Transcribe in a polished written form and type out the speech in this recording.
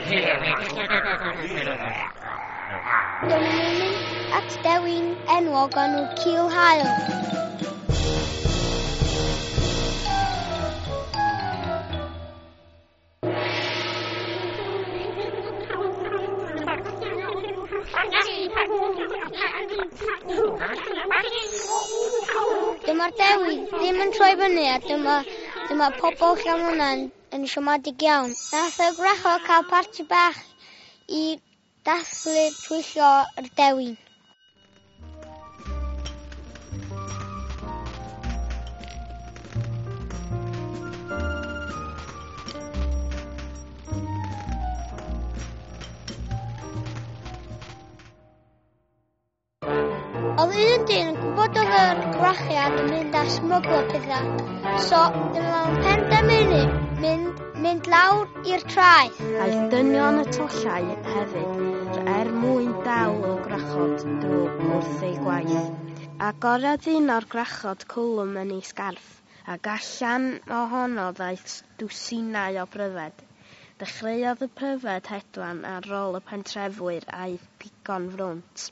Dyma nhw'n mynd at dewin enwog enw Cil Haul. Dyma'r dewin ddim yn troi fyny a dyma, dyma pobl Llanwnnen yn siomedig iawn. Nath y gwrachod cael parti bach i dathlu twyllo yr dewin. Oedd un dyn yn gwybod oedd yr gwrachiad yn mynd a smyglo pethau. So, dyma fo'n penderfynu mynd, mynd lawr i'r traeth. Aeth dynion y tollau hefyd er mwyn dal y gwrachod drwg wrth ei gwaith. Agorodd un o'r gwrachod cwlwm yn ei sgarff, ac allan ohono ddaeth dwsinau o bryfed. Dechreuodd y pryfed hedfan ar ôl y pentrefwyr a'i pigo'n frwnt.